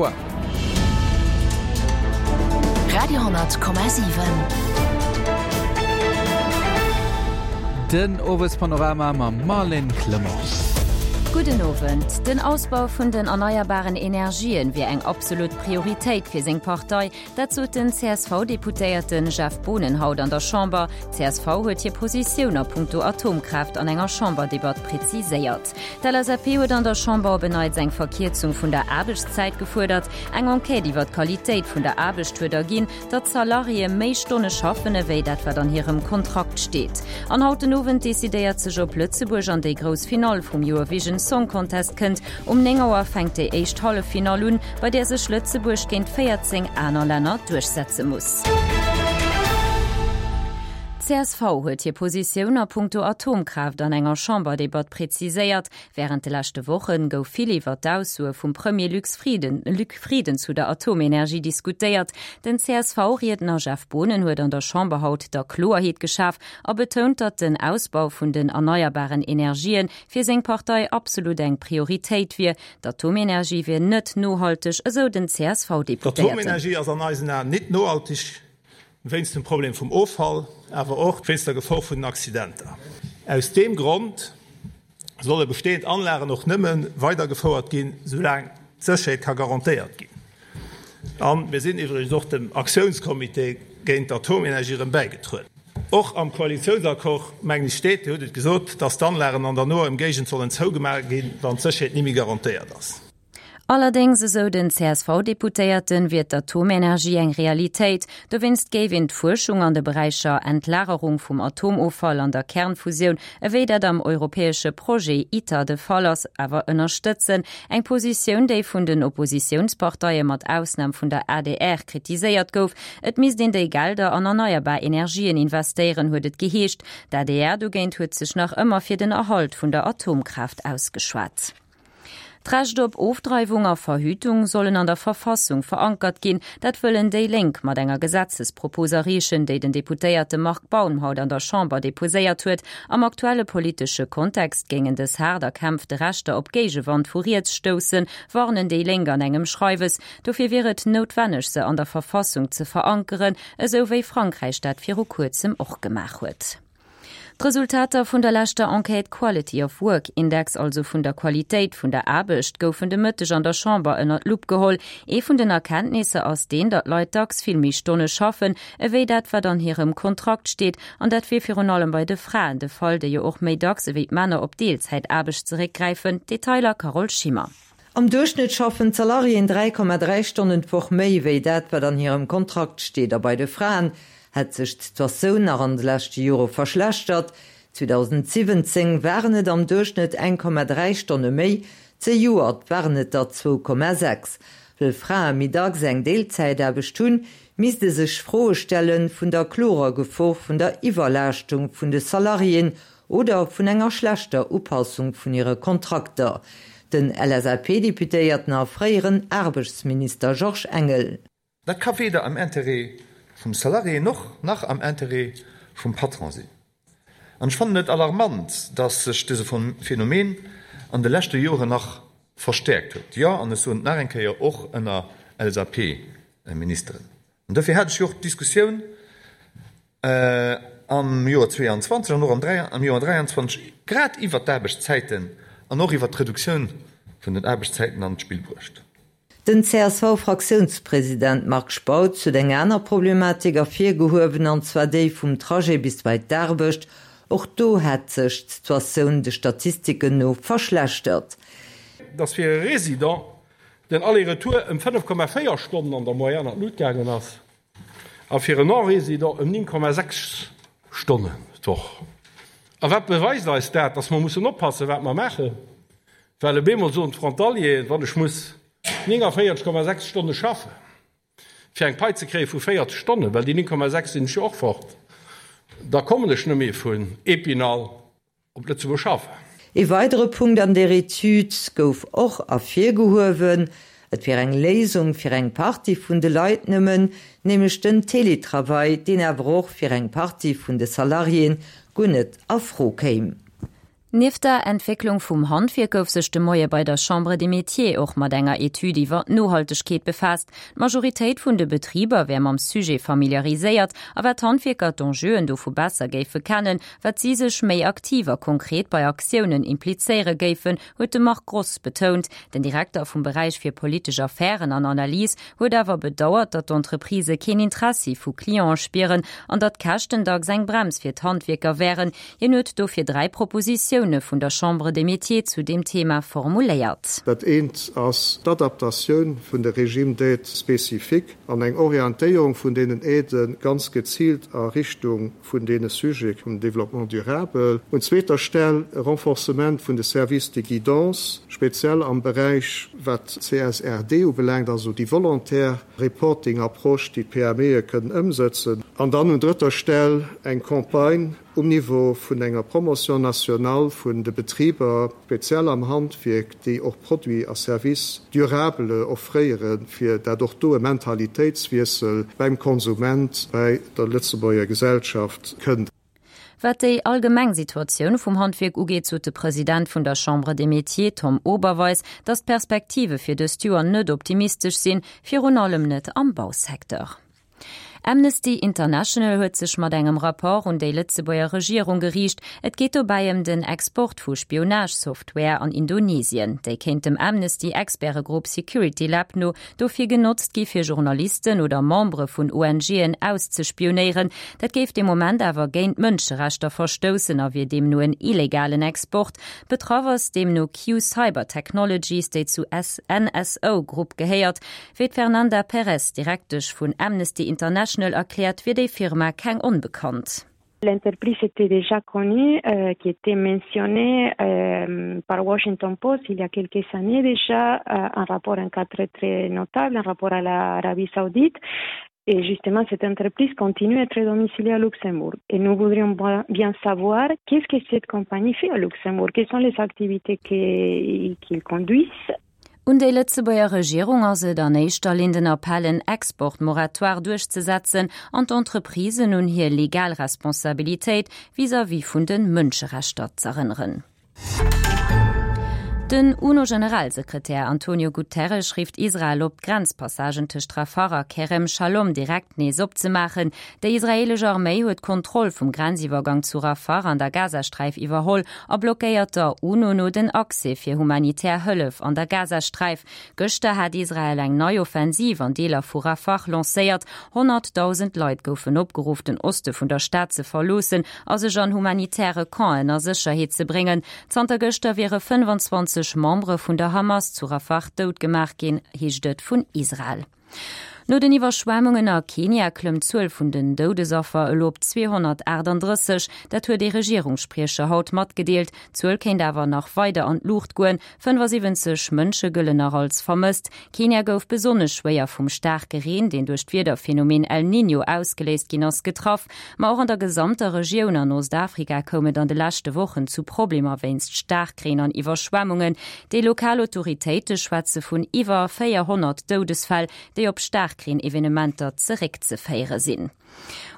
Auer. Radio,7. Den Owespanorama mam Marlène Clement. Gudden Owend. Den Ausbau vun den erneierbaren Energien wier eng absolut Prioritéit fir seng Partei. Dat sot den CSV-Deputéierte Jeff Boonen haut an der Chamber. D'CSV huet hir Positioun a punkto Atomkraaft an enger Chamberdebatt preziséiert. D'LSAP huet an der Chamber op en Neits eng Verkierzung vun der Aarbechtszäit gefuerdert. Eng Enquête iwwer d'Qualitéit vun der Aarbecht huet erginn, datt d'Salariéë méi Stonne schaffen, ewéi dat wat an hirem Kontrakt steet. An haut den Owend decidéiert sech, ob Lëtzebuerg an déi grouss Finall vum Eurovision Song Contest kënnt. Um 9 Auer fänkt déi éischt Halleffinall un, bei där sech Lëtzebuerg géint 14 aner Länner duerchsetze muss. D'CSV huet hir Positioun a punkto Atomkraaft an enger Chamberdebatt präziséiert. Wärend de leschte Woche gouf vill iwwer d'Aussoe vum Premier Luc Frieden, Luc Frieden zu der Atomenergie diskutéiert. Den CSV-Riedner Jeff Boonen huet an der Chamber haut der Kloerheet geschaf a betount, datt den Ausbau vun den erneierbaren Energien fir seng Partei absolut eng Prioritéit wier. D'Atomenergie wier net nohalteg, esou den CSV-Deputéierten. D'Atomenergie ass an eisen Aen nit nohalteg, wéinst dem Problem vum Offall, awer och wéinst der Gefor vun den Accidenter. Aus deem Grond solle bestehend Anlagen och nëmme weidergefouert ginn, soulaang d'Sécherheet ka garantéiert ginn. A mir sinn iwwregens och dem Aktiounscomité géint d'Atomenergie erëm bäigetrueden. Och am Koalitiounsaccord, mengen ech, steet, Dir hutt et gesot, dass d'Anlagen an der noer Emgéigend sollen zougemaach ginn, wann d'Sécherheet ni méi garantéiert ass. Allerdéngs, esou den CSV-Deputéierten, wier d'Atomenergie eng Realitéit. Dowéinst géif een d'Fuerschung an de Beräicher Entlagerung vum Atomoffall an der Kernfusioun, ewéi dat am europäesche Projet ITER de Fall ass, awer ënnerstëtzen. Eng Positioun, déi vun den Oppositiounsparteie mat Ausnam vun der adr kritiséiert gouf. Et misst een déi Gelder an erneierbar Energien investéieren, huet et geheescht. D'adr dogéint huet sech nach ëmmer fir den Erhalt vun der Atomkraaft ausgeschwat. D'Recht op Ofdreiwung a Verhütung sollen an der Verfassung verankert ginn. Dat wëllen déi Lénk mat enger Gesetzespropos erreechen, déi den Deputéierte Marc Baum haut an der Chamber deposéiert huet. Am aktuelle politesche Kontext géingen dës haart erkämpfte Rechter op Géigewand vu riets stoussen, warnen déi Lénk an engem Schreiwes. Dofir wier et noutwenneg, se an der Verfassung ze verankeren, esou wéi Frankräich dat viru kuerzem och gemaach huet. D'Resultater vun der leschter Enquête Quality of Work Index, also vun der Qualitéit vun der Aarbecht, goufen de Mëtteg an der Chamber ënner d'Lupp geholl. Ee vun den Erkenntnisser ass deen, datt Leit dacks vill méi Stonne schaffen, ewéi dat wat an hirem Kontrakt steet. An dat wier virun allem bei de Fraen de Fall, déi jo och méi dacks ewéi d'Männer op Deelzäitaarbecht zeréckgräifen. Detailer Carole Schimmer. Am Duerchschnëtt schaffen d'Salariéen 3,3 Stonnen d'Woch méi, wéi dat wat an hirem Kontrakt steet. A bei de Fraen hätt sech d'Situatioun nach an de leschte Jore verschlechtert. 2017 waren et am Duerchschnëtt 1,3 Stonne méi, zejoert waren et der 2,6. Wëll Frae méi dacks eng Deelzäitaarbecht hunn, misst e sech Froe stelle vun der klorer Gefor vun der Iwwerlaaschtung vun de Salariéen oder vun enger schlechter Upassung vun hire Kontrakter. Den LSAP-Deputéierten a fréieren Aarbechtsminister Georges Engel. Dat ka weder am Intérêt vum Salarié noch nach am Intérêt vum Patron sinn. An ech fannen et alarmant, dass sech dëse Phänomen an de leschte Joren nach verstäerkt huet, jo, an ech soen et nach eng Kéier, och ënner LSAP-Ministeren. An dofir hat ech jo och d'Diskussioun am Joer 22 an och am Joer 23 grad iwwert d'Aarbechtszäiten an och iwwert d'Reduktioun vun den Aarbechtszäiten an d'Spill bruecht. Den CSV-Fraktiounspresident Marc Spautz huet eng aner Problematik ervirgehuewen, an zwar déi vum Trajet bis bei d'Aarbecht. Och do hätt sech d'Situatioun de Statistiken no verschlechtert. Dass fir e Résident den Aller-retour ëm 5,4 Stonnen an der Moyenne an d'Lut gaangen ass a fir en Non-Résident ëm 9,6 Stonnen d'Woch. A wat beweist eis dat? Dass mer mussen oppassen, wat mer maachen. Well op eemol soen d'Frontalieren, wann ech muss 49,6 Stonne schaffen, fir eng Pai ze kréie vu 40 Stonnen, well déi 9,6 sinn ech jo och fort, da kommen ech net méi vun Épinal op Lëtzebuerg schaffen. Ee weidere Punkt an där Etüd gouf och ervirgehuewen, Et wier eng Léisung fir eng Partie vun de Leit nëmmen, nämlech den Télétravail, deen awer och fir eng Partie vun de Salariéen guer net a Fro kéim. Nieft der Entwécklung vum Handwierk gouf sech de Moie bei der Chambre des Métiers och mat enger Etüd iwwer d'Nohaltegkeet befaasst. D'Majoritéit vun de Betriber wär mam Sujet familiariséiert a wat d'Handwierker d'Enjeuen dovu besser géife kennen, wat si sech méi aktiv a konkret bei Aktiounen implizéiere géifen, huet de Marc Gross betount. Den Direkter vum Beräich fir politesch Affären an Analyse huet awer bedauert, datt d'Entreprisë keen Interessi vu Cliente spieren an datt d'Käschten dacks eng Brems fir d'Handwierker wären. Hien huet dofir 3 Propositioune vun der Chambre des Métiers zu deem Thema formuléiert. Dat eent ass d'Adaptatioun vun de Régimes d'aide spécifiques an eng Orientéierung vun deenen Aidë ganz geziilt a Richtung vun deene Sujete vum Développement durable. Un zweeter Stell e Renforcement vun de Services de guidance, speziell am Beräich wat d'CSRD ubelaangt, also déi volontaire Reporting-Approche, déi d'PMEe kënnen ëmsëtzen. An dann un drëtter Stell eng Campagne um Niveau vun enger Promotion nationale vun de Betriber, speziell am Handwierk, déi och Produits a Services durables offréieren, fir dat och do e Mentalitéitswiessel beim Konsument, bei der Lëtzebuerger Gesellschaft kënnt. Wat déi allgemeng Situatioun vum Handwierk ugeet, sot de President vun der Chambre des Métiers, Tom Oberweis, datt d'Perspektive fir dëst Joer net optimistesch sinn, virun allem net am Bausecteur. Amnesty International huet sech mat engem Rapport un déi Lëtzebuerger Regierung geriicht. Et geet dobäi ëm den Export vu Spionage-Software an Indonesien. Déi kéint dem Amnesty-Expertegrupp Security Lab no dofir genotzt gi fir Journalisten oder Membere vun ONGen auszespionéieren. Dat géif de Moment awer géint d'Mënscherechter verstoussen a wier deemno en illegalen Export. Betraff ass deemno Q-Cyber Technologies, déi zu NSO Group gehéiert. Wéi d'Fernanda Perez, Direktesch vun Amnesty International, erkläert, wier déi Firma keng Onbekannt. L'entreprise était déjà connue, euh, qui était mentionnée euh, par Washington Post il y a quelques années déjà, euh, un rapport un cas très très notable, un rapport à l'Arabie Saoudite. Et justement, cette entreprise continue à être domiciliée à Luxembourg. Et nous voudrions bien savoir qu'est-ce que cette compagnie fait à Luxembourg, quelles sont les activités qu'ils qu conduisent Un déi Lëtzebuerger Regierung ass et an éischter Linn den Appell, en Export-Moratoire duerchzesetzen an d'Entreprisen un hir legal Responsabilitéit vis-à-vis vun de Mënscherechter z'erënneren. Den UNO-Generalsekretär Antonio Guterres rifft Israel op, d'Grenzpassagen tëscht Rafah a Kerem Shalom direkt nees opzemaachen. Déi israeelesch Arméi huet d'Kontroll vum Grenziwwergang zu Rafah an der Gazasträif iwwerholl a blockéiert der UNO no den Accès fir humanitär Hëllef an der Gazasträif. Gëschter hat Israel eng nei Offensiv an Deeler vu Rafah lancéiert. 100.000 Leit goufen opgeruff, den Oste vun der Stad ze verloossen a sech an humanitäre Campen a Sécherheet ze bréngen. Zanter gëschter wiere 25 Membere vun der Hamas zu Rafah dout gemaach ginn, heescht et vun Israel. No den Iwwerschwemmungen a Kenia klëmmt d'Zuel vun den Doudesaffer elo op 238. Dat huet ee Regierungsspriecher haut matgedeelt. D'Zuel kéint awer nach weider an d'Luucht goen. 75 Mënsche gëllen nach als vermësst. Kenia gouf besonnesch schwéier vum staarke Reen, deen duerch d'Wiederphenomen El Niño ausgeléist ginn ass, getraff. Ma och an der gesamter Regioun an Ostafrika koum et an de leschte Wochen zu Problemer wéinst Staarkreen an Iwwerschwemmungen. Déi lokal Autoritéite schwätze vun iwwer 400 Doudesfäll, déi op Staarkreen-Evenementer zeréckzeféiere sinn.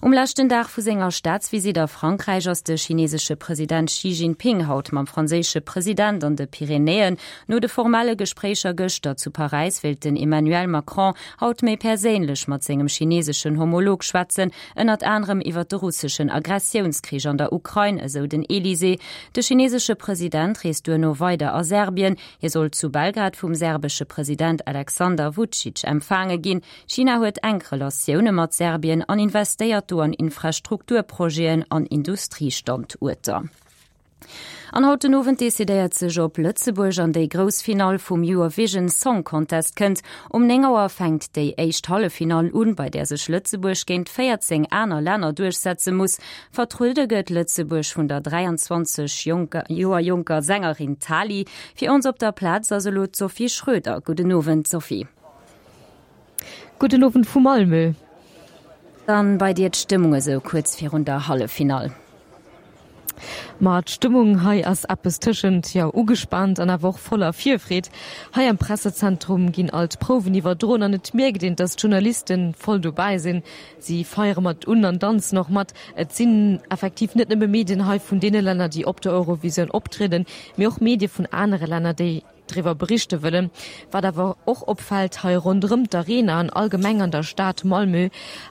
Um leschten Dag vu senger Staatsvisitt a Frankräich ass de chinesesche President Xi Jinping haut mam franséische President an de Pyrenäen. No de formelle Gespréicher gëschter zu Paräis wéilt den Emmanuel Macron haut méi perséinlech mat sengem chineseschen Homolog schwätzen, ënnert anerem iwwer de russeschen Aggressiounskrich an der Ukrain, esou den Elysée. De chinesesche President reest duerno weider a Serbien. Hie soll zu Belgrad vum serbesche President Alexander Vucic empfaange ginn. China huet enk Relatioune mat Serbien an investéiert do an Infrastrukturprojeten an Industriestanduerter. An haut den Owend decidéiert sech, ob Lëtzebuerg an déi grouss Finall vum Eurovision Song Contest kënnt. Um 9 Auer fänkt déi éischt Halleffinall un, bei där sech Lëtzebuerg géint 14 aner Länner duerchsetze muss. Vertruede gëtt Lëtzebuerg vun der 23 Joer jonker Sängerin Tali. Fir ons op der Plaz ass elo d'Sophie Schröder. Gudden Owend Sophie. Gudden Owend vu Malmö. Dann bei dir d'Stëmmung esou kuerz virun der Halleffinall? Ma d'Stëmmung hei ass eppes tëschent, jo, ugespaant an awer och voller Virfreed. Hei am Pressezentrum ginn all d'Prouwen iwwerdroen an et mierkt een, dass d'Journaliste voll dobäi sinn. Si feiere mat un an danzen och mat. Et sinn effektiv net nëmme Medien hei vun deene Länner, déi op der Eurovisioun optrieden, mee och Medie vun anere Länner, déi driwwer berichte wëllen. Wat awer och opfält, hei ronderëm d'Arena an allgemeng an der Stad Malmö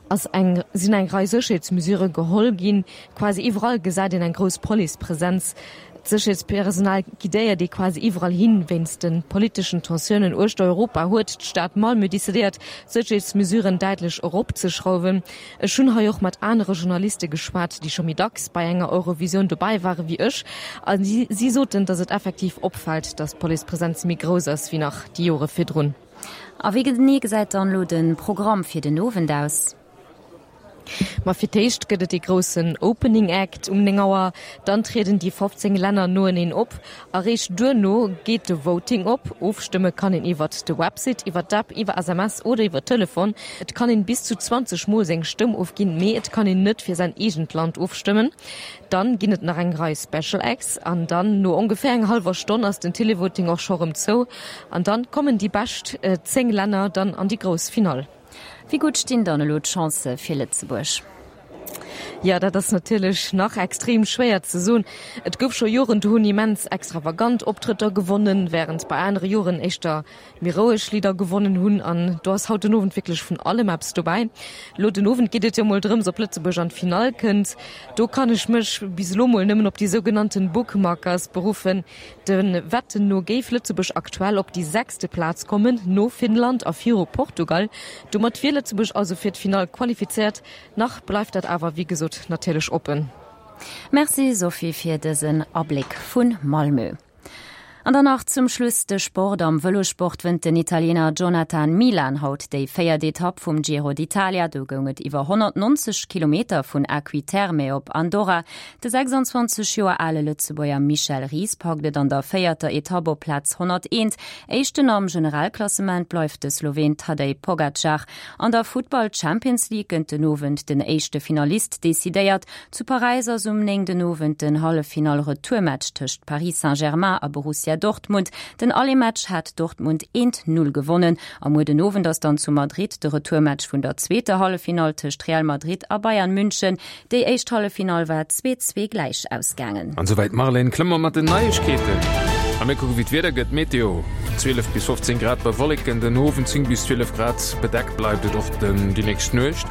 ass eng sinn eng Rei Sécherheetsmesure geholl ginn. Quasi iwwerall gesäit een eng grouss Policepresenz. D'Sécherheetspersonal guidéiert ee quasi iwwerall hin. Wéinst de politeschen Tensiounen uechter Europa huet d'Stad Malmö decidéiert, d'Sécherheetsmesuren däitlech eropzeschrauwen. Ech hunn hei och mat anere Journaliste geschwat, déi scho méi dacks bei enger Eurovisioun dobäi ware wéi ech, a si soten, datt et effektiv opfält, datt d'Policepresenz méi grouss ass wéi nach déi Jore virdrun. A wéi genee gesäit dann elo de Programm fir den Owend aus? Ma fir d'éischt gëtt et dee groussen Opening Act um 9 Auer, dann trieden déi 15 Länner noeneen op a réischt duerno geet de Voting op. Ofstëmme kann een iwwert de Website, iwwer d'App, iwwer SMS oder iwwer Telefon. Et kann een bis zu 20 Mol seng Stëmm ofginn, mee et kann een net fir säin eegent Land ofstëmmen. Dann ginn et nach eng Rei Special Acts an dann no ongeféier eng hallwer Stonn ass den Televoting och scho rëm zou an dann kommen déi bescht 10 Länner dann an déi grouss Finall. Wéi gutt stinn dann elo d'Chancë fir Lëtzebuerg? Jo, dat ass natierlech nach extrem schwéier ze soen. Et gouf scho Joren, do hunn immens extravagant Optrëtter gewonnen, wärend bei anere Joren éischter méi roueg Lidder gewonnen hunn. An do ass haut den Owend wierklech vun allem eppes dobäi. Elo den Owend geet et jo mol drëms, ob Lëtzebuerg an d'Finall kënnt. Do kann ech mech bis elo mol nëmmen op déi sougenannten Bookmakers beruffen. De Wetten no géif Lëtzebuerg aktuell op déi sechste Plaz kommen, no Finnland a viru Portugal. Domat wier Lëtzebuerg also fir d'Finall qualifizéiert. Nach bleift dat awer wéi gesot natierlech oppen. Merci Sophie fir dësen Abléck vu Malmö. An dann nach zum Schluss de Sport. Am Vëlossport wënnt den Italiener Jonathan Milan haut déi véiert Etapp vum Giro d'Italia. Do goung et iwwer 190 Kilometer vun Acqui Terme op Andorra. De 26 Joer ale Lëtzebuerger Michel Ries packt et an der véierter Etapp op Plaz 101. Éischten am Generalklassement bleift de Sloween Tadej Pogacar. An der Futtball Champions League gëtt den Owend den éischte Finalist decidéiert. Zu Paräis ass um 9 den Owend den Halleffinall-Retourmatch tëscht Paris Saint-Germain a Borussia Dortmund. Den Aller-Match hat Dortmund 1, 0 gewonnen. A muer den Owend ass dann zu Madrid de Retourmatch vun der zweeter Halleffinall tëscht Real Madrid a Bayern München. Déi éischt Halleffinall war 2, 2 gläich ausgaangen. An souwäit d'Marlène Clement mat den Neiegkeeten. A mir kucke wéi d'Wieder gëtt. Meteo, 12 bis 15 Grad bei Wolleken den Owend, 10 bis 12 Grad, bedeckt bleift et och déi nächst Nuecht.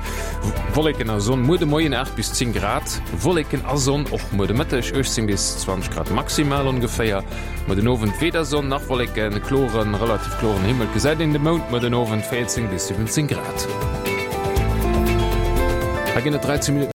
Wolleken a Sonn muer de Moien, 8 bis 10 Grad, Wolleken a Sonn och muer de Mëtteg, 18 bis 20 Grad maximal ongeféier. Muer den Owend weder Sonn nach Wolleken, kloren, relativ kloren Himmel, gesäit een de Mound muer den Owend, 14 bis 17 Grad. Hei ginn et 13 Minutten.